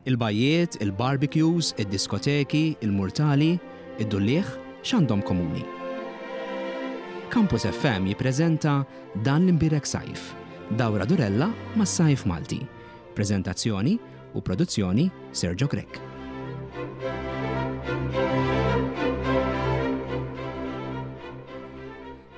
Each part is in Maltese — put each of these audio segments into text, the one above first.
Il-bajjiet, il-barbecues, id-diskoteki, il-murtali, id-dulliegħ, x'għandhom komuni? Campus FM jippreżenta Dan l-Imbierek Sajf, dawra durella mas-sajf Malti. Preżentazzjoni u produzzjoni Sergio Grech.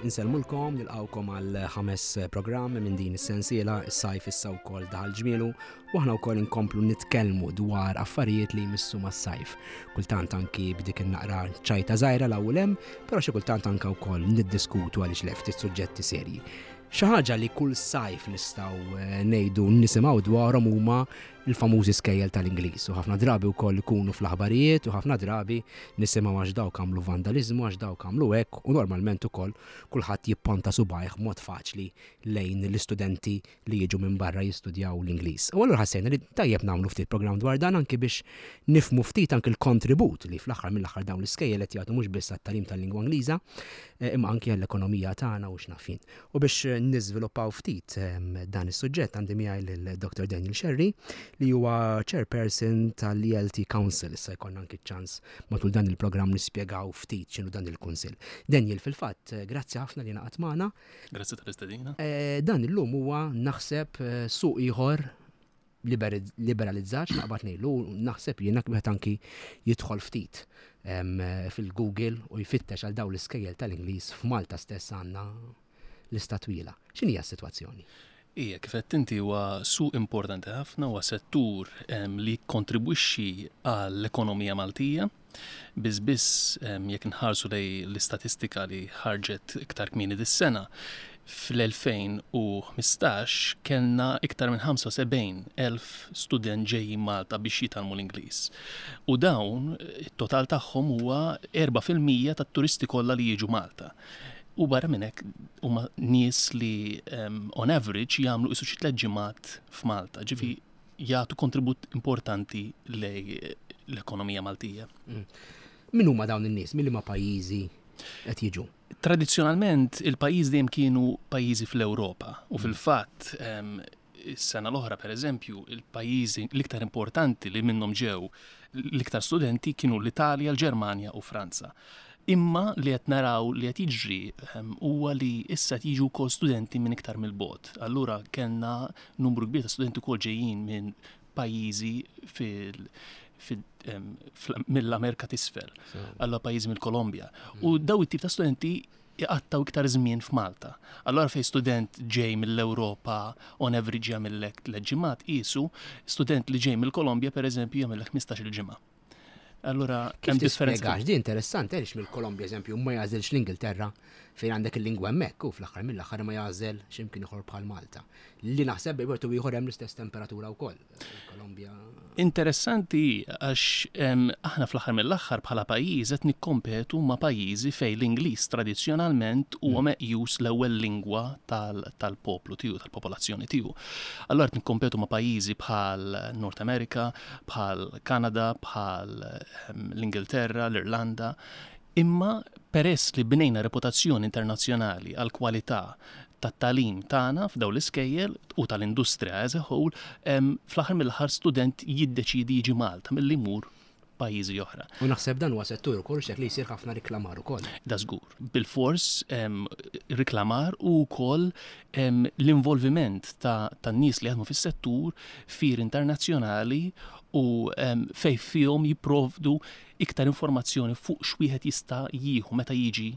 Insellmulkom, nilqawkom għal ħames programm minn din is-sensiela, is-sajf issa wkoll daħal ġmielu u aħna wkoll inkomplu nitkellmu dwar affarijiet li jmissu mas-sajf. Kultant anki b'dik in-naqra ċajta żgħira l hemm, però xi kultant anke wkoll niddiskutu għaliex le ftit suġġetti serji. Xi ħaġa li kull sajf nistgħu eh, ngħidu nisimgħu dwarhom huma l-famużi skejjel tal-Ingliż u ħafna drabi wkoll ikunu fl-aħbarijiet u ħafna drabi nisimgħu għax dawk għamlu vandaliżmu għax dawk għamlu hekk u normalment ukoll kulħadd jipponta subajh mod faċli lejn l-istudenti li jiġu minn barra jistudjaw l-Ingliż. U allura ħassejna li tajjeb nagħmlu ftit programm dwar dan anki biex nifhmu ftit anki l-kontribut li fl-aħħar mill-aħħar dawn l-iskejjel qed jagħtu mhux biss għat-tagħlim tal-lingwa Ingliża eh, imma anki għall-ekonomija tagħna u x'naf jien. U biex niżviluppaw ftit ehm, dan is-suġġett għandi miegħi lil Dr. Daniel Scerri li huwa chairperson tal-ELT Council. Issa jkollna anki ċans matul dan il-programm nispjegaw ftit x'inhu dan il-kunsill. Daniel, fil-fatt, grazzi ħafna li naqat magħna. Grazzi tal-istedina. Eh, dan illum huwa naħseb eh, suq ieħor liberalizzat naqbad ngħidlu naħseb jiena wieħed anki jidħol ftit fil-Google u jfittex għal dawn l-iskejjel tal-Ingliż f'Malta stess għandna lista twila. X'inhi s-sitwazzjoni? Ija, kif qed inti huwa suq importanti ħafna, huwa settur li jikkontribwixxi għall-ekonomija Maltija. Biss biss jekk inħarsu lejn l-istatistika li ħarġet iktar kmieni dis-sena, fl-2015 kellna iktar minn 75,000 student ġejjin Malta biex jitgħallmu l-Ingliż. U dawn, it-total tagħhom huwa 4% tat-turisti kollha li jiġu Malta. U barra minn hekk huma nies li on average jagħmlu qisu xi tliet ġimgħat f'Malta. Ġifi jagħtu kontribut importanti lej l-ekonomija Maltija. Mm. Min huma dawn in-nies? Min liema pajjiżi qed jiġu? Tradizzjonalment il-pajjiż dejjem kienu pajjiżi fl-Ewropa u mm. fil-fatt is-sena l-oħra pereżempju il-pajjiżi l-iktar importanti li minnhom ġew l-iktar studenti kienu l-Italja, l-Ġermanja u Franza. Imma li qed naraw li qed jiġri ehm, huwa li issa qed jiġu wkoll studenti minn iktar mill-bogħod. Allura kellna numru kbir ta' studenti wkoll ġejjin minn pajjiżi fil ehm, mill-Amerika t'isfel, allura pajjiżi mill-Kolombja. U mm. daw it-tip ta' studenti iqattaw iktar żmien f'Malta. Allura fej student ġej mill-Ewropa on average jagħmillek tliet ġimgħat qisu, student li ġej mill-Kolombja pereżempju jagħmillek 15-il ġimgħa. Allura hemm differenza. Di interessanti għaliex mill-Kolombja eżempju ma jagħżilx l-Ingilterra fejn għandek il-lingwa hemmhekk u fl-aħħar mill-aħħar ma jagħżel x'imkien ieħor bħal Malta. Li naħseb bejn wieħed u ieħor hemm l-istess temperatura wkoll. Kolombja. Interessanti għax aħna fl-aħħar mill-aħħar bħala pajjiż qed nikkompetu ma' pajjiżi fejn l-Ingliż tradizzjonalment huwa mm. meqjus l-ewwel lingwa tal-poplu tiegħu, tal-popolazzjoni tiegħu. Allura qed nikkompetu ma' pajjiżi bħal North America, bħal Kanada, bħal ehm, l-Ingilterra, l-Irlanda, imma peress li bnejna reputazzjoni internazzjonali għal kwalità tat-tagħlim tagħna f'dawn l-iskejjel u tal-industrija as a whole, ehm, fl-aħħar mill-aħħar student jiddeċidi jiġi Malta milli jmur pajjiżi oħra. U naħseb dan huwa settur ukoll xek li jsir ħafna riklamar ukoll. Da żgur. Bilfors riklamar u wkoll l-involviment ta' tan-nies li jaħdmu fis-settur fir internazzjonali u fejn fihom jipprovdu iktar informazzjoni fuq x'wieħed jista' jieħu meta jiġi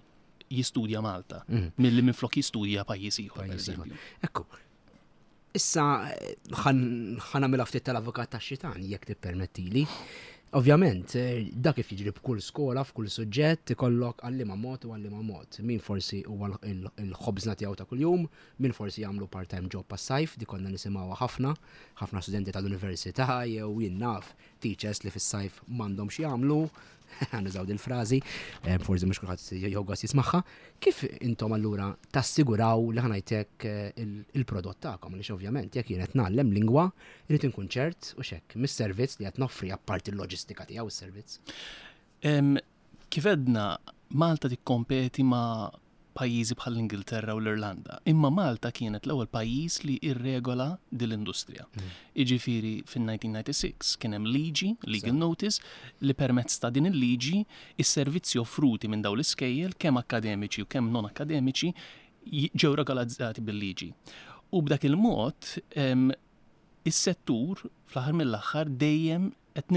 jistudja Malta mm. milli minflok jistudja pajjiż ieħor. Ekku, Issa ħa nagħmilha ftit tal-avukat tax-xitan jekk tippermettili. Ovvjament, dak kif jiġri b'kull skola, f'kull suġġett, ikollok għalliema mod u għalliema mod. Min forsi huwa l-ħobżna tiegħu ta' kuljum, min forsi jagħmlu part-time job għas-sajf, dik konna nisimgħuha ħafna, ħafna studenti tal-università jew jien naf teachers li fis-sajf m'għandhom x'jagħmlu, nużaw dil-frażi, eh, forsi mhux kulħadd jieħu gost jismagħha. Kif intom allura tassiguraw li ħanajtek eh, il-prodott tagħkom għaliex ovvjament jekk jien qed ngħallem lingwa, irid inkun ċert u xekk mis-servizz li qed noffri apparti l-loġistika tiegħu is-servizz. Kif għedna, Malta tikkompeti ma' pajjiżi bħall-Ingilterra u l-Irlanda. Imma Malta kienet l-ewwel pajjiż li irregola din l-industrija. Jiġifieri fin-1996 kien hemm liġi, legal notice, li permezz ta' din il-liġi is-servizzi offruti minn dawn l-iskejjel kemm akkademiċi u kemm non akkademiċi ġew regolarizzati bil-liġi. U b'dak il-mod is-settur fl-aħħar mill-aħħar dejjem qed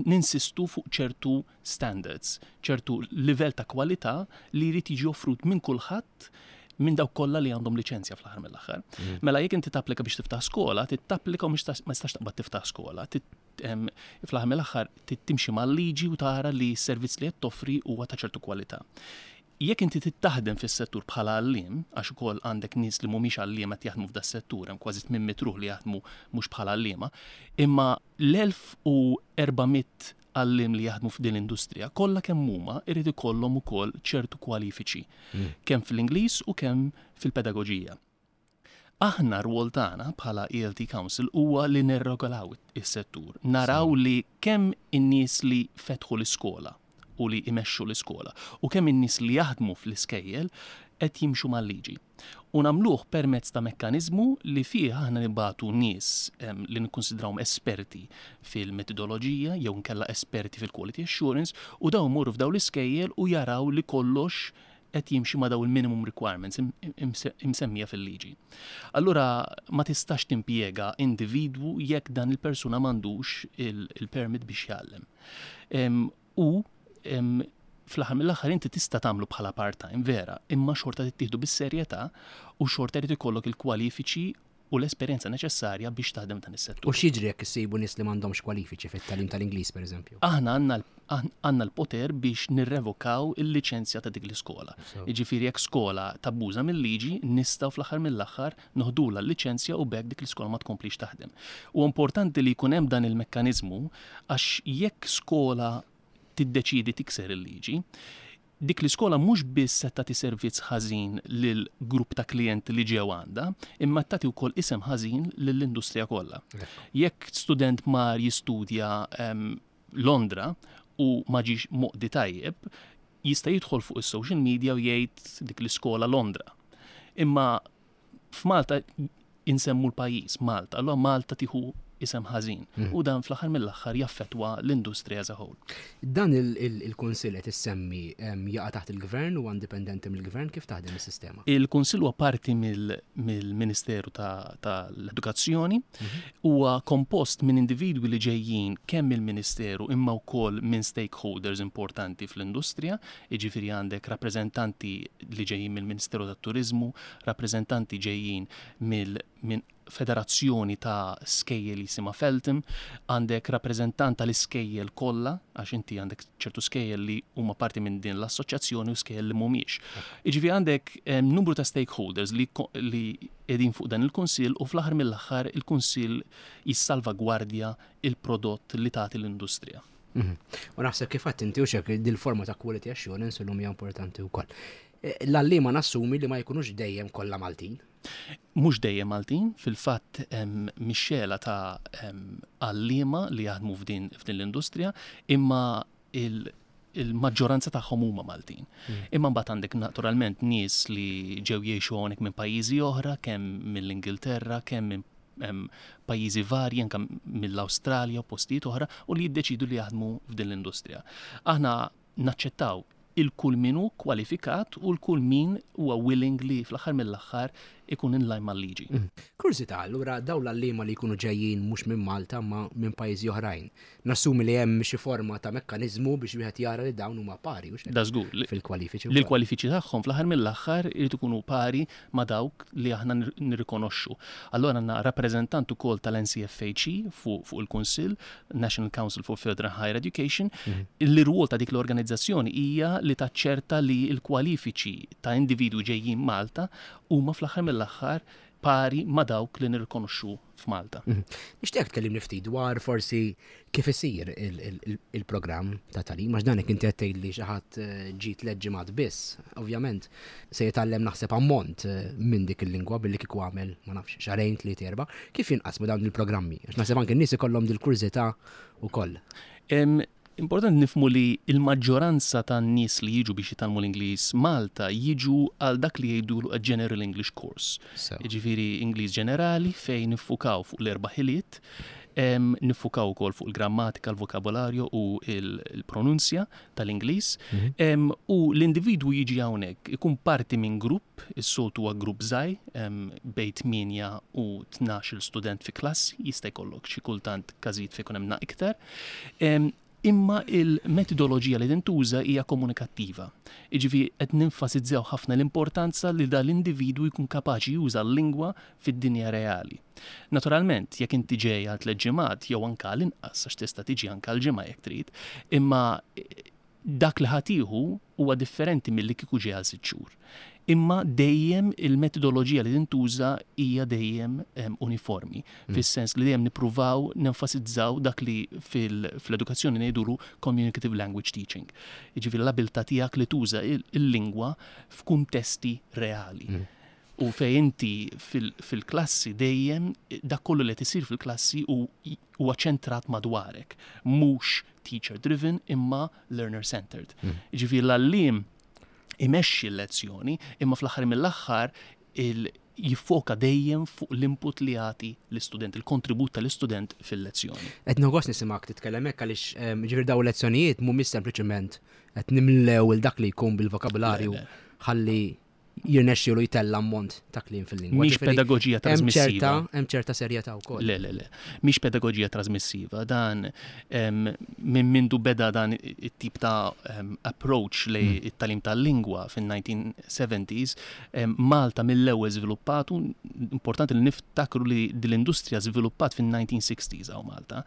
ninsistu fuq ċertu standards, ċertu livell ta' kwalità li jrid jiġi offrut minn kulħadd minn dawk kollha li għandhom liċenzja fl-aħħar mill-aħħar. Mela jekk inti tapplika biex tiftaħ skola, titapplika u ma tistax taqbad tiftaħ skola. Fl-aħħar mill-aħħar timxi mal-liġi u tara li s-servizz li qed toffri huwa ta' ċertu kwalità. Jekk inti trid taħdem fis-settur bħala għalliem, għax ukoll għandek nies li mhumiex għalliema qed jaħdmu f'das-settur, hemm kważi 800 ruħ li jaħdmu mhux bħala għalliema, imma l-1400 għalliem li jaħdmu f'din l-industrija kollha kemm huma jrid ikollhom ukoll ċertu kwalifiċi, kemm fl-Ingliż u kemm fil-pedagoġija. Aħna r-rwol tagħna bħala ELT Council huwa li nirregolaw is-settur, naraw li kemm in-nies li fetħu l-iskola u li imexxu l-iskola u kemm in-nies li jaħdmu fl-iskejjel qed jimxu mal-liġi. U nagħmluh permezz ta' mekkaniżmu li fih aħna nibagħtu nies li nikkunsidrawhom esperti fil-metodoloġija jew inkella esperti fil-quality assurance u dawn imorru f'dawn l-iskejjel u jaraw li kollox qed jimxi ma' dawn il-minimum requirements imsemmija fil-liġi. Allura ma tistax timpjega individwu jekk dan il-persuna m'għandux il-permit biex jgħallem. U fl-aħħar mill-aħħar inti tista' tagħmlu bħala part-time, vera, imma xorta tittieħdu bis-serjetà u xorta jrid ikollok il-kwalifiċi u l-esperjenza neċessarja biex taħdem f'dan is-settur. U x'jiġri jekk issibu nies li m'għandhomx kwalifiċi fit-tagħlim tal-Ingliż, pereżempju? Aħna għandna l-poter biex nirrevokaw il-liċenzja ta' dik l-iskola. Jiġifieri jekk skola tabbuża mil-liġi, nistgħu fl-aħħar mill-aħħar noħdulha l-liċenzja u b'hekk dik l-iskola ma tkomplix taħdem. Huwa importanti li jkun hemm dan il-mekkaniżmu għax jekk skola tiddeċiedi tikser il-liġi, dik l-iskola mhux biss qed tagħti servizz ħażin lil grupp ta' klijenti li ġew għandha, imma qed tagħti wkoll isem ħażin lill-industrija kollha. Jekk student mar jistudja Londra u ma ġiex moqdi tajjeb, jista' jidħol fuq is-social media u jgħid dik l-iskola Londra. Imma f'Malta insemmu l-pajjiż Malta, allura Malta tieħu isem ħażin mm. u dan fl-aħħar mill-aħħar jaffettwa l-industrija as a whole. Dan il-kunsill qed issemmi jaqa' taħt il-gvern u indipendenti mill-gvern kif taħdem is-sistema? Il-kunsill huwa parti mill-Ministeru tal-Edukazzjoni, mhm. huwa kompost minn individwi li ġejjin kemm mill-Ministeru imma wkoll minn stakeholders importanti fl-industrija, jiġifieri għandek rappreżentanti li ġejjin mill-Ministeru tat-Turiżmu, rappreżentanti ġejjin mill minn federazzjoni ta' skejjel jisimha Feltham, għandek rappreżentant tal-iskejjel kollha, għax inti għandek ċertu skejjel li huma parti minn din l-assoċjazzjoni u skejjel li mhumiex. Jiġifieri għandek numru ta' stakeholders li li qegħdin fuq dan il-kunsill u fl-aħħar mill-aħħar il-kunsill jissalvagwardja il-prodott li tagħti l-industrija. Mhm. U naħseb kif għedt inti u xek dil-forma ta' quality assurance illum hija importanti wkoll. Eh, l-għalliema nassumi li ma jkunux dejjem kollha Maltin. Mhux dejjem Maltin, fil-fatt hemm mixxela ta' għalliema li jaħdmu f'din l-industrija, imma il-maġġoranza tagħhom huma Maltin. Mm. Imma mbagħad għandek naturalment nies li ġew jgħixu hawnhekk minn pajjiżi oħra, kemm mill-Ingilterra, kemm minn pajjiżi varji anke mill-Awstralja u postijiet oħra u li jiddeċidu li jaħdmu f'din l-industrija. Aħna naċċettaw il-kull min hu kwalifikat u l-kull min huwa willing li fl-aħħar mill-aħħar ikun in line mal-liġi. Mm. Kurżità, allura dawn l-għalliema li jkunu ġejjin mhux minn Malta ma minn pajjiżi oħrajn. Nassumi li hemm xi forma ta' mekkaniżmu biex wieħed jara li dawn huma pari hux hekk? Da żgur. Fil-kwalifiċi. Li l-kwalifiċi tagħhom fl-aħħar mill-aħħar irid ikunu pari ma' dawk li aħna nirrikonoxxu. Allura għandna rappreżentant ukoll tal-NCFHE fuq il-Kunsill, National Council for Further and Higher Education, mhm. li rwol ta' dik l-organizzazzjoni hija li taċċerta li l-kwalifiċi ta' individwi ġejjin Malta huma fl-aħħar mill-aħħar pari ma' dawk li nirrikonoxxu f'Malta. Mhm. Nixtieq tkellimni ftit dwar forsi kif isir il-programm ta' tagħlim, għax dan inti qed tgħid li xi ħadd eh, ġie tliet ġimgħat biss, ovvjament se jitgħallem naħseb ammont eh, minn dik il-lingwa billi kieku għamel ma nafx xahrejn tliet erba', kif jinqasmu dawn il-programmi? Għax naħseb anke n-nies ikollhom dil-kurżità wkoll. Importanti nifhmu li l-maġġoranza tan-nies li jiġu biex jitgħallmu l-Ingliż Malta jiġu għal dak li jgħidulu a general English course. Jiġifieri Ingliż ġenerali fejn niffukaw fuq l-erba' ħiliet, niffukaw ukoll fuq il-grammatika, l-vokabolarju u l-pronunzja tal-Ingliż. U l-individwu jiġi hawnhekk ikun parti minn grupp, is-soltu huwa grupp żgħir, bejn 8 u 12-il student fi klassi, jista' jkollok xi kultant każijiet fejn ikun hemm naqra iktar. Imma il-metodoloġija li tintuża hija komunikattiva. Jiġifieri qed nenfasizzaw ħafna l-importanza li dan l-individwu jkun kapaċi juża l-lingwa fid-dinja reali. Naturalment, jekk inti ġej għal tliet ġimgħat jew anke għal inqas għax tista' tiġi anke għal ġimgħa jekk trid, imma dak li ħa tieħu huwa differenti milli kieku ġej għal sitt xhur. Imma dejjem il-metodoloġija li tintuża hija dejjem uniformi, fis-sens li dejjem nippruvaw nenfasizzaw dak li fl-edukazzjoni ngħidulu communicative language teaching. Jiġifieri l-abilità tiegħek li tuża il-lingwa f'kuntesti reali. U fejn inti fil-klassi dejjem dak kollu li qed isir fil-klassi huwa ċentrat madwarek, mhux teacher driven imma learner centered. Jiġifieri l-għalliem imexxi l-lezzjoni imma fl-aħħar mill-aħħar jiffoka dejjem fuq l-input li jagħti l-istudent, il-kontribut tal-istudent fil-lezzjoni. Qed nieħu gost nisimgħek titkellem hekk għaliex ġifieri dawn il-lezzjonijiet mhumiex sempliċement qed nimlew il dak li jkun bil-vokabularju ħalli jirnexxielu jtella' ammont ta' kliem fil-lingwa. Mhix pedagoġija trasmissiva. Hemm ċerta serjetà wkoll. Le, le, le. Mhix pedagoġija trasmissiva. Dan minn mindu beda dan it-tip ta' approach lejn it-tagħlim tal-lingwa fin-1970s, Malta mill-ewwel żviluppatu, importanti li niftakru li din l-industrija żviluppat fin-1960s hawn Malta.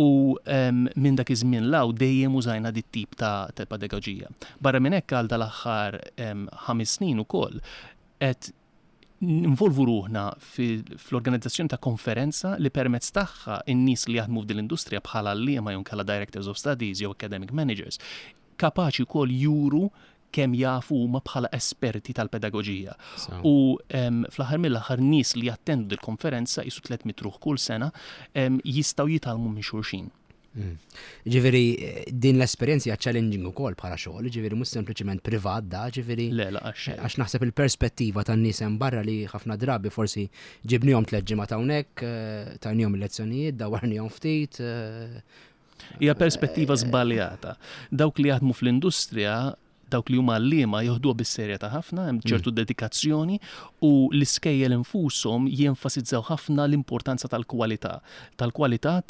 U minn dak iż-żmien 'l hawn dejjem użajna dit tip ta' pedagoġija. Barra minn hekk għal dal-aħħar 5 snin ukoll qed ninvolvu ruħna fl-organizzazzjoni ta' konferenza li permezz tagħha n-nies li jaħdmu f'din l-industrija bħala għalliema jew inkella directors of studies jew academic managers kapaċi wkoll juru kemm jafu huma bħala esperti tal-pedagoġija. U fl-aħħar mill-aħħar nies li jattendu dil-konferenza qisu 300 ruħ kull sena jistgħu jitgħallmu minn xulxin. Ġifieri din l-esperjenza hija challenging ukoll bħala xogħol, ġifieri mhux sempliċement privat da, ġifieri. Le, la, għax xejn. Għax naħseb il-perspettiva tan-nies hemm barra li ħafna drabi forsi ġibnihom tliet ġimgħat hawnhekk, tajnihom il-lezzjonijiet, dawwarnihom ftit. Hija perspettiva żbaljata. Dawk li jaħdmu fl-industrija, dawk li huma għalliema joħduha bis-serjetà ħafna, hemm ċertu dedikazzjoni u l-iskejjel infushom jenfasizzaw ħafna l-importanza tal-kwalità, tal-kwalità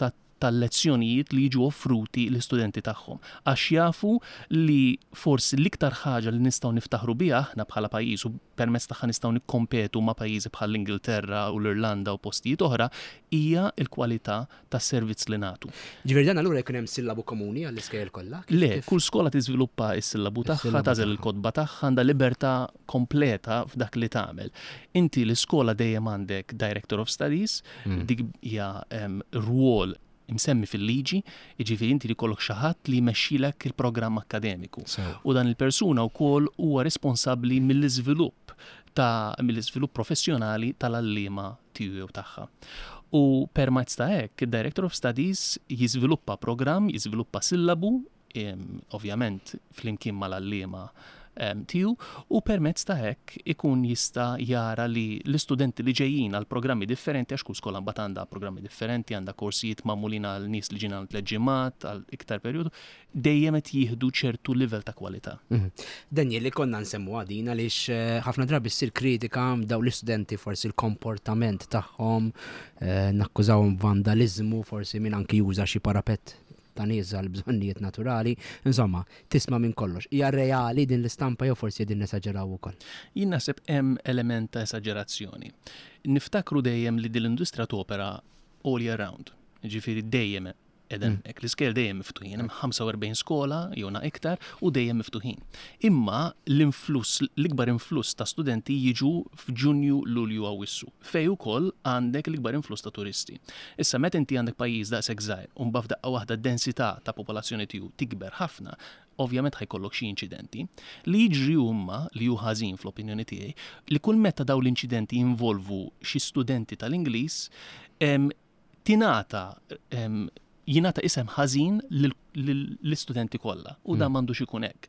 tal-lezzjonijiet li jiġu offruti l-istudenti tagħhom. Għax jafu li forsi l-iktar ħaġa li nistgħu niftaħru biha aħna bħala pajjiż u permezz tagħha nistgħu nikkompetu ma' pajjiżi bħall-Ingilterra u l-Irlanda u postijiet oħra hija l-kwalità tas-servizz li nagħtu. Ġifieri dan allura jkun hemm sillabu komuni għall-iskejjel kollha? Le, kull skola tiżviluppa s-sillabu tagħha, tagħżel il-kotba tagħha, għandha libertà kompleta f'dak li tagħmel. Inti l-iskola dejjem għandek Director of Studies, dik hija rwol imsemmi fil-liġi, jiġifieri inti li jkollok xi ħadd li jmexxilek il-programm akkademiku. U dan il-persuna wkoll huwa responsabbli mill-iżvilupp ta' mill-iżvilupp professjonali tal-għalliema tiegħu jew tagħha. U permezz ta' hekk, id-Director of Studies jiżviluppa programm, jiżviluppa sillabu, ovvjament flimkien mal-għalliema tiegħu, u permezz ta' hekk ikun jista' jara li l-istudenti li ġejjin għal programmi differenti, għax kull skola mbagħad għandha programmi differenti, għandha korsijiet magħmulin għal nies li ġejjin għal tliet ġimgħat, għal iktar perjodu, dejjem qed jieħdu ċertu livell ta' kwalità. Daniel, li konna nsemmu għadin għaliex ħafna drabi ssir kritika daw l-istudenti forsi l-komportament tagħhom, nakkużawhom vandaliżmu, forsi min anki juża xi parapett ta' nies għal bżonnijiet naturali, insomma, tisma' minn kollox. Hija reali din l-istampa jew forsi din nesaġeraw ukoll? Jien naħseb hemm element ta' esaġerazzjoni. Niftakru dejjem li din l-industrija topera all year round. Ġifieri dejjem edem hekk, l-iskejjel dejjem miftuħin, hemm 45 skola jew na iktar u dejjem miftuħin. Imma l-influss, l-ikbar influss ta' studenti jiġu f'Ġunju, Lulju, Awwissu, fej ukoll għandek l-ikbar influss ta' turisti. Issa meta inti għandek pajjiż daqshekk żgħir u mbagħad f'daqqa waħda d-densità ta' popolazzjoni tiegħu tikber ħafna, ovvjament ħajkollok xi inċidenti. Li jiġri huma li hu ħażin fl-opinjoni tiegħi li kull meta dawn l-inċidenti jinvolvu xi studenti tal-Ingliż, tingħata Jingħata isem ħażin lill-istudenti kollha u dan m'għandux ikun hekk.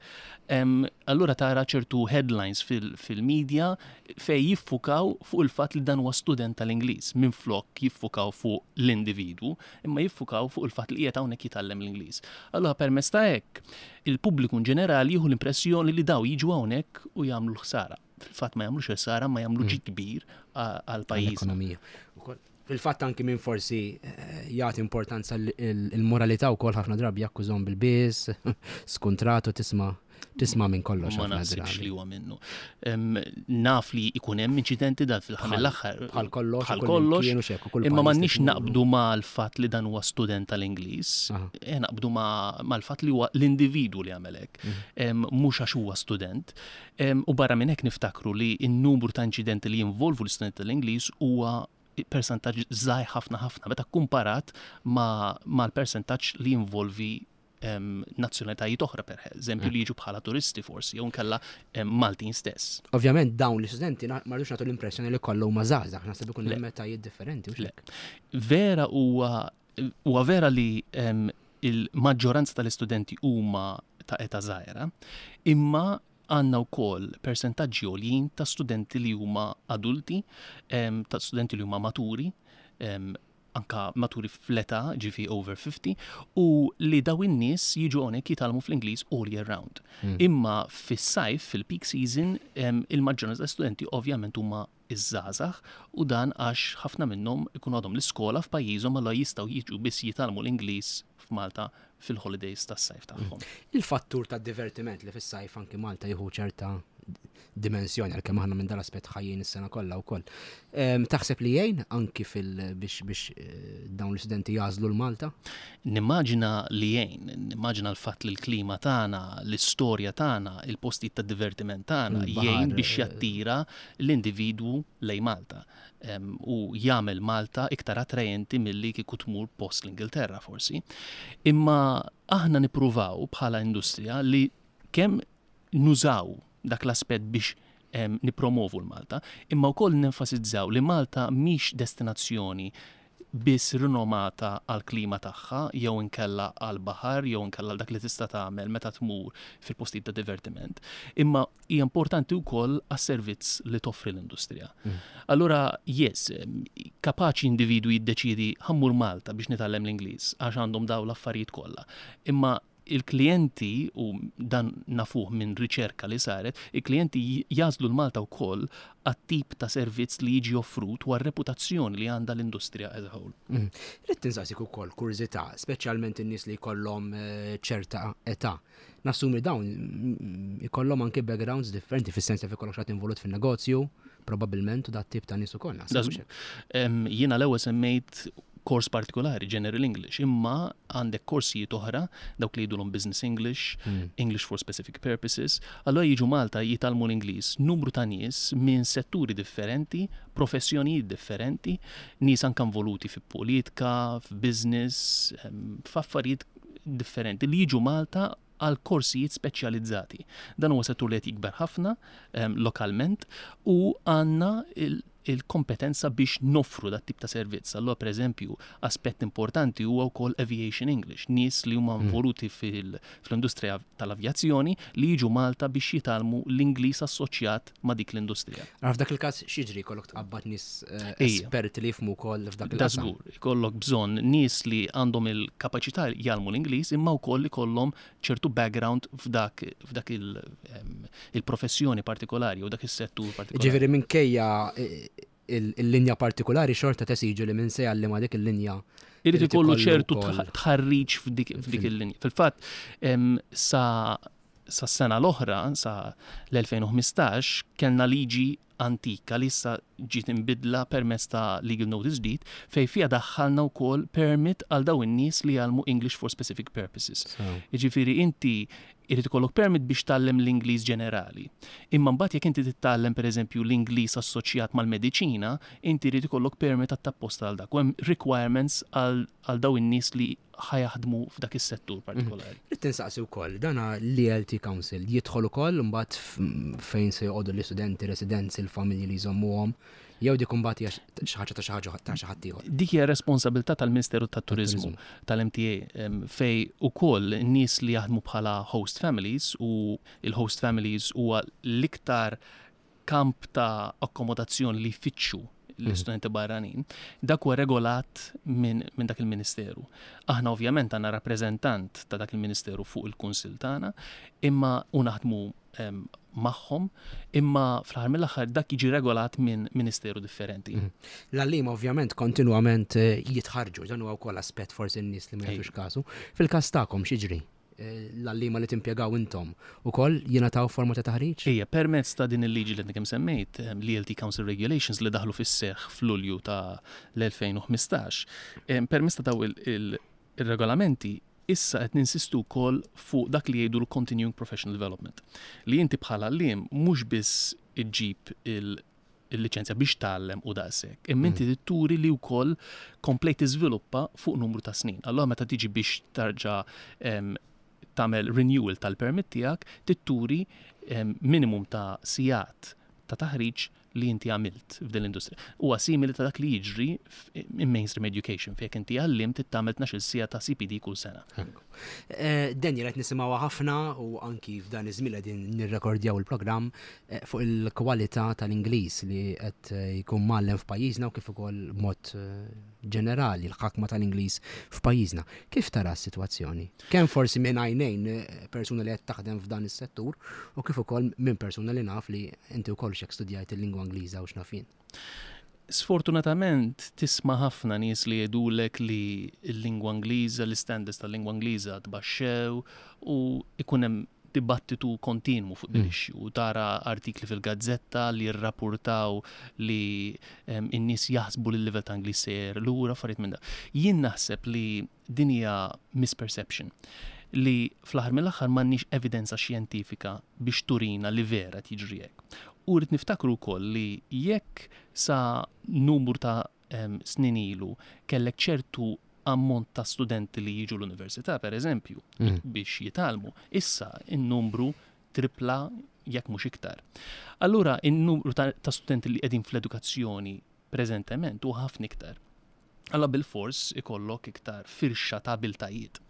Allura tara ċertu headlines fil-media fejn jiffukaw fuq il-fatt li dan huwa student tal-Ingliż minflok jiffukaw fuq l-individwu, imma jiffukaw fuq il-fatt li qiegħed hawnhekk jitgħallem l-Ingliż. Allura permezz ta' hekk il-pubbliku in ġenerali jieħu l-impressjoni li daw jiġu hawnhekk u jagħmlu l-ħsara. Fil-fatt ma jagħmlux ħsara ma jagħmlu ġid kbir għall-pajjiż. Ekonomija. Fil-fatt anki min forsi eh, jagħti importanza l-moralità wkoll ħafna drabi jakkużhom bil-biż, skuntratu tisma' tisma' minn kollox. Ma naħsibx li huwa minnu. Naf li ikun hemm inċidenti dan fil-ħamil l-aħħar. Bħal kollox. Bħal kollox. Imma m'għandniex naqbdu mal-fatt li dan huwa student tal-Ingliż, eh, naqbdu mal-fatt li huwa l-individwu li għamel hekk. Mhm. Mhux għax huwa student. U barra minn hekk niftakru li n-numru ta' inċidenti li jinvolvu l-istudenti tal-Ingliż huwa persentaġġ żgħir ħafna ħafna meta kkumparat mal-persentaġġ li jinvolvi nazzjonalitajiet oħra per eżempju li jiġu bħala turisti forsi jew nkella Maltin stess. Ovvjament dawn l-istudenti ma rridux nagħtu l-impressjoni li kollha huma żgħażagħ, naħseb ikun hemm etajiet differenti. Vera huwa Huwa vera li il-maġġoranza tal-istudenti huma ta' età żgħira, imma għandna wkoll persentaġġi għoljin ta' studenti li huma adulti, ta' studenti li huma maturi, anka maturi fl-età, ġifi over 50, u li daw in-nies jiġu hawnhekk jitgħallmu fl-Ingliż all year round. Hmm. Imma fis-sajf, fil-peak season, il-maġġoranza ta' studenti ovvjament huma iż-żgħażagħ u dan għax ħafna minnhom ikunu għadhom l-iskola f'pajjiżhom allura jistgħu jiġu biss jitgħallmu l-Ingliż f'Malta fil-holidays tas-sajf tagħhom. Il-fattur tad-divertiment li fis-sajf anki Malta jieħu ċerta dimensjoni għalkemm aħna minn dal-aspett ħajjin is-sena kollha wkoll. Taħseb li jgħin anki fil biex biex eh, dawn l-istudenti jagħżlu l-Malta? Nimmaġina li jgħin, nimmaġina l-fatt li l-klima tagħna, l-istorja tagħna, il-postijiet ta' divertiment tagħna jgħin biex eh, jattira l-individwu lejn Malta u jagħmel Malta iktar attrajenti milli kieku tmur post l-Ingilterra forsi. Imma aħna nippruvaw bħala industrija li kemm nużaw dak l-aspett biex nippromovu l-Malta, imma wkoll nenfasizzaw li Malta mhix destinazzjoni biss rinomata għall-klima tagħha jew inkella għall-baħar jew inkella għal dak li tista' tagħmel meta tmur fil-postijiet ta' divertiment, imma hija importanti wkoll għas-servizz li toffri l-industrija. Mm. Allura, yes, kapaċi individwu jiddeċiedi ħammur Malta biex nitgħallem l-Ingliż għax għandhom dawn l-affarijiet kollha. Imma il-klijenti, u dan nafuh minn riċerka li saret, il-klijenti jagħżlu l-Malta wkoll għat-tip ta' servizz li jiġi offrut u għar-reputazzjoni li għandha l-industrija as a whole. Mm. Ridt insaqsik ukoll kurżità, speċjalment in-nies li jkollhom eh, ċerta età. Nassumi dawn mm, ikollhom anke backgrounds differenti fis-sens jaf ikollok xi involut fin-negozju, probabbilment u dat tip ta' nies ukoll. Jiena l-ewwel semmejt kors partikolari, General English, imma għandek korsijiet oħra, dawk li jgħidulhom Business English, hmm. English for Specific Purposes, allura jiġu Malta jitgħallmu l-Ingliż numru ta' nies minn setturi differenti, professjonijiet differenti, nies anke involuti fi politika, f'business, f'affarijiet differenti li jiġu Malta għal korsijiet speċjalizzati. Dan huwa settur li qed jikber ħafna ehm, lokalment u għandna il-kompetenza biex noffru dat tip ta' servizz. Allura pereżempju, aspett importanti huwa wkoll aviation English, nies li huma hmm. involuti fl-industrija tal-avjazzjoni li jiġu Malta biex jitgħallmu l-Ingliż assoċjat ma' dik l-industrija. Ara f'dak il-każ x'jiġri jkollok tqabbad nies eh, esperti li jifhmu wkoll f'dak il-qasam. Dażgur, ikollok bżonn nies li għandhom il-kapaċità jgħallmu l-Ingliż imma wkoll ikollhom ċertu background f'dak f'dak il-professjoni partikolari u dak is-settur partikolari. Ġifieri minkejja eh, il-linja partikolari xorta tesiġu li minn se jgħallima dik il-linja. Irid ikollu ċertu tħarriġ f'dik il-linja. Fil-fatt, sa Sas-sena l-oħra, sa l-2015, kellna liġi antika li issa ġiet imbiddla permezz ta' legal notice ġdid fejn fiha daħħalna wkoll permit għal dawn in-nies li jgħallmu English for specific purposes. Jiġifieri inti jrid ikollok permit biex tgħallem l-Ingliż ġenerali. Imma mbagħad jekk inti titgħallem pereżempju l-Ingliż assoċjat mal-mediċina, inti jrid ikollok permit għat-tapposta għal dak. U hemm requirements għal dawn in-nies li ħa jaħdmu f'dak is-settur partikolari. Ridt insaqsi wkoll, dana l-ELT Council jidħol ukoll imbagħad fejn se joqogħdu l-istudenti, residenzi, l-familji li jżommuhom. Jew dik imbagħad hija xi ħaġa ta' xi ħaġa ta' xi ħadd ieħor. Dik hija responsabilità tal-Ministeru tat-Turiżmu, tal-MTA, fejn ukoll nies li jaħdmu bħala host families u il-host families huwa l-iktar kamp ta' akkomodazzjoni li jfittxu l-istudenti barranin, dak huwa regolat minn min dak il-ministeru. Aħna ovvjament għandna rappreżentant ta' dak il-ministeru fuq il-kunsill tagħna, imma u naħdmu magħhom, imma fl-aħħar mill-aħħar dak jiġi regolat minn ministeru differenti. L-għalliema ovvjament kontinwament eh, jitħarġu, dan huwa wkoll aspett forsi n-nies li ma jagħtux kasu. Fil-każ tagħkom x'jiġri? Eh, l-għalliema li timpjegaw intom ukoll jingħataw forma ta' taħriġ? Ejja, permezz ta' din il-liġi li kemm semmejt, eh, l-ELT Council Regulations li daħlu fis-seħħ f'Lulju ta' l-2015, permezz ta' daw il-regolamenti issa qed ninsistu wkoll fuq dak li jgħidu l-continuing professional development. Li inti bħala għalliem mhux biss iġġib il-liċenzja biex tgħallem u daqshekk, imma inti mm. turi li wkoll komplejt tiżviluppa fuq numru ta' snin. Allura meta tiġi biex tarġa' tagħmel renewal tal-permit tiegħek, titturi minimum ta' sigħat ta' taħriġ li inti għamilt f'din l-industrija. Huwa simili ta' dak li jiġri in mainstream education fejn inti għalliem trid tagħmel 12 siegħa ta' CPD kull sena. Eh, Daniel qed nisimgħuha ħafna u anki f'dan iż-żmien qegħdin nirrekordjaw il-programm eh, fuq il-kwalità tal-Ingliż li qed eh, jkun mgħallem f'pajjiżna u kif ukoll mod ġenerali l-ħakma tal-Ingliż f'pajjiżna. Kif tara s-sitwazzjoni? Kemm forsi minn għajnejn persuna li qed taħdem f'dan is-settur u kif ukoll minn persuna li naf li inti wkoll xek studjajt il-lingwa Ingliża u x'naf jien. Sfortunatament tisma' ħafna nies li jgħidulek li l-lingwa Ingliża, l-istandards tal-lingwa Ingliża tbaxxew u ikun hemm dibattitu kontinwu fuq din mm. issue. U tara artikli fil-gazzetta li jirrapportaw li n-nies jaħsbu li l-livell ta' Ingliż sejjer lura affarijiet minn da. Jien naħseb li din hija misperception li fl-aħħar mill-aħħar m'għandniex evidenza xjentifika biex turina li vera tiġri hekk. U rrid niftakru wkoll li jekk sa numru ta' snin ilu kellek ċertu ammont ta' studenti li jiġu l-università, per eżempju, mm. biex jitgħallmu, issa in-numru tripla jekk mhux iktar. Allura in-numru ta', ta studenti li qegħdin fl-edukazzjoni preżentement huwa ħafna iktar. Alla bil-fors ikollok iktar firxa ta' abiltajiet.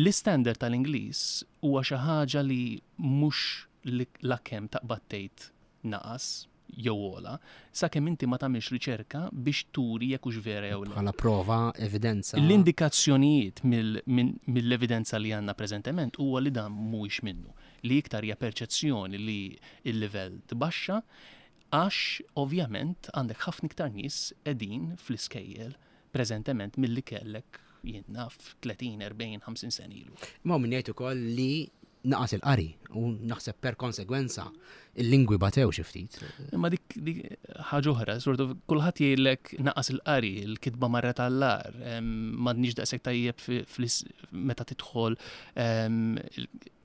L-istandard tal-Ingliż huwa xi ħaġa li mhux lakemm taqbad tgħid naqas jew ogħla, sakemm inti ma tagħmilx riċerka biex turi jekk hux vera jew le. Bħala prova, evidenza. L-indikazzjonijiet mill-evidenza li għandna preżentement huwa li dan mhuwiex minnu, li iktar hija perċezzjoni li l-livell tbaxxa għax ovvjament għandek ħafna iktar nies qegħdin fl-iskejjel preżentement milli kellek jien naf 30, 40, 50 sena ilu. Ma min jgħid ukoll li naqas il-qari u naħseb per konsegwenza il-lingwi batew xi ftit. Imma dik ħaġa oħra, sort of kulħadd jgħidlek naqas il-qari, il-kitba marret għall-ar, m'għadniex daqshekk tajjeb meta tidħol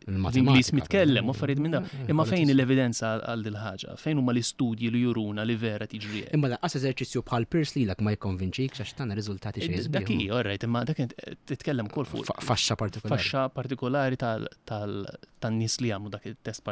l-Ingliż mitkellem u affarijiet minn dawn. Imma fejn l-evidenza għal dil ħaġa? Fejn huma l-istudji li juruna li vera tiġri hekk? Imma lanqas eżerċizzju bħal Peirce lilek ma jikkonvinċik għax tana riżultati xejn sbieħ. Dak hi, all right, imma dak titkellem ukoll fuq faxxa partikolari. Faxxa partikolari tan-nies li jagħmlu dak it-test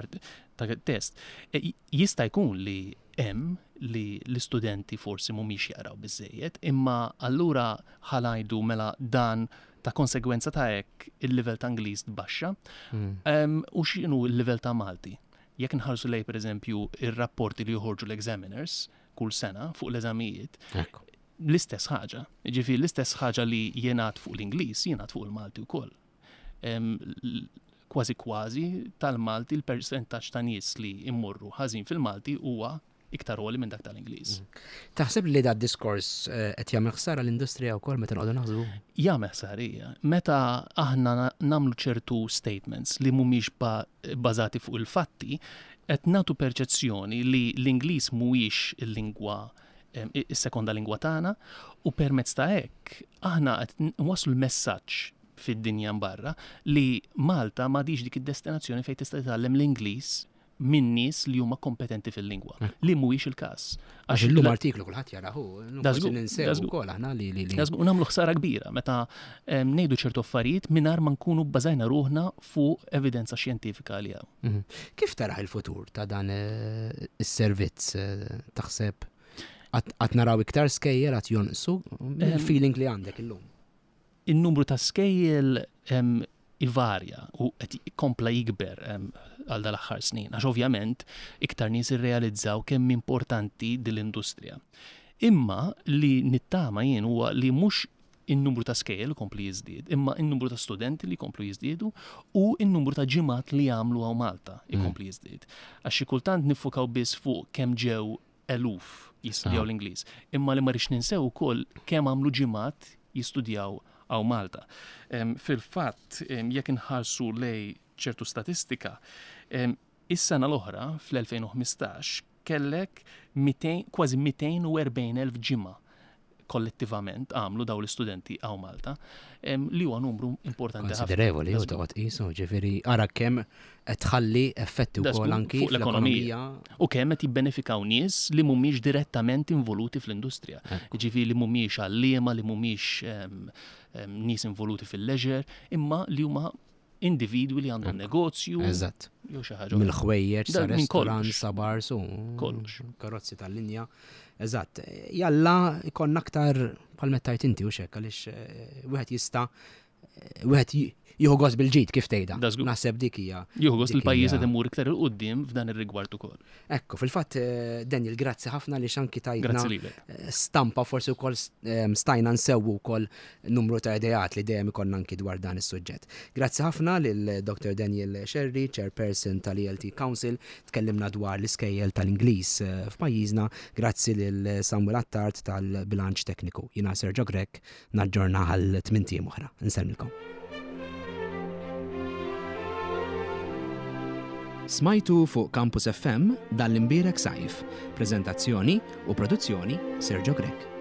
dak it-test. E, jista' jkun li hemm li l-istudenti forsi mhumiex jaqraw biżejjed, imma allura ħalajdu mela dan ta' konsegwenza ta' hekk il-livell ta' Ingliż tbaxxa. Mm. U x'inhu l-livell ta' Malti? Jekk nħarsu lej pereżempju ir-rapporti li joħorġu l-examiners kull sena fuq l-eżamijiet, l-istess ħaġa. Ġifieri l-istess ħaġa li jingħad fuq l-Ingliż, jingħad fuq il-Malti wkoll. Kważi kważi tal-Malti l-persentaġġ ta' nies li immorru ħażin fil-Malti huwa iktar għoli minn dak tal-Ingliż. Mm. Taħseb li da diskors eh, qed jagħmel ħsara l-industrija wkoll meta noqogħdu naħsbu? Jagħmel ħsara hija. Meta aħna nagħmlu ċertu statements li mhumiex bbażati fuq il-fatti, qed nagħtu perċezzjoni li l-Ingliż mhuwiex il-lingwa is-sekonda lingwa tagħna u permezz ta' hekk aħna qed nwasslu l-messaġġ fid-dinja barra li Malta m'għadix dik id-destinazzjoni fejn tista' titgħallem l-Ingliż minn nies li huma kompetenti fil-lingwa, li mhuwiex il-każ. Għax illum artiklu kulħadd jarahu, ninsew ukoll aħna li li. U nagħmlu ħsara kbira meta ngħidu ċertu affarijiet mingħajr ma nkunu bbażajna ruħna fuq evidenza xjentifika li hawn. Mhm. Kif taraħ il-futur ta' dan eh, is-servizz eh, taħseb? Għad naraw iktar skejjel għad jonqsu il-feeling li għandek illum. In-numru ta' skejjel ivarja u qed kompla jikber għal dal-aħħar snin, għax ovvjament iktar nies irrealizzaw kemm importanti din l-industrija. Imma li nittama jien huwa li mhux in-numru ta' skejjel ikompli jiżdied, imma n-numru ta' studenti li jkomplu jiżdiedu u n-numru ta' ġimgħat li jagħmlu hawn Malta jkompli jiżdied. Għax xi kultant niffukaw biss fuq kemm ġew eluf jistudjaw l-Ingliż, imma li ma rridx ninsew ukoll kemm għamlu ġimgħat jistudjaw hawn Malta. Fil-fatt, jekk inħarsu lej ċertu statistika, is-sena l-oħra, fl-2015, kellek kważi 240,000 ġimgħa kollettivament għamlu dawn l-istudenti hawn Malta, li huwa numru importanti ħafna. Konsiderevoli, u toqgħod qisu, ġifieri ara kemm qed tħalli effetti wkoll anki fuq l-ekonomija. U kemm qed jibbenefikaw nies li mhumiex direttament involuti fl-industrija. Ġifieri li mhumiex għalliema, li mhumiex nies involuti fil-leisure, imma li huma individwi li għandhom negozju. Eżatt. Jew xi ħaġa. Mill-ħwejjeġ sa restaurant sa bars u kollox. Karozzi tal-linja. Eżatt. Jalla ikonna aktar bħal meta tajt inti u xek għaliex eh, wieħed jista' eh, wieħed jieħu gost bil-ġid kif tgħidha. Naħseb dik hija. Jieħu gost il-pajjiż qed imur iktar il quddiem f'dan ir-rigward ukoll. Ekku, fil-fatt, eh, Daniel, grazzi ħafna li xanki tajtna eh, stampa forsi wkoll eh, stajna nsewwu wkoll numru ta' ideat li dejjem ikollna anki dwar dan is-suġġett. Grazzi ħafna lil Dr. Daniel Sherry, Chairperson tal-ELT Council, tkellimna dwar l-iskejjel tal-Ingliż f'pajjiżna, grazzi lil Samuel Attard tal-bilanċ tekniku. Jiena Sergio Grech, Naġġorna għal tmintijiem oħra. Insellmilkom. Smajtu fuq Campus FM dan l-imbierek sajf. Preżentazzjoni u produzzjoni Sergio Grech.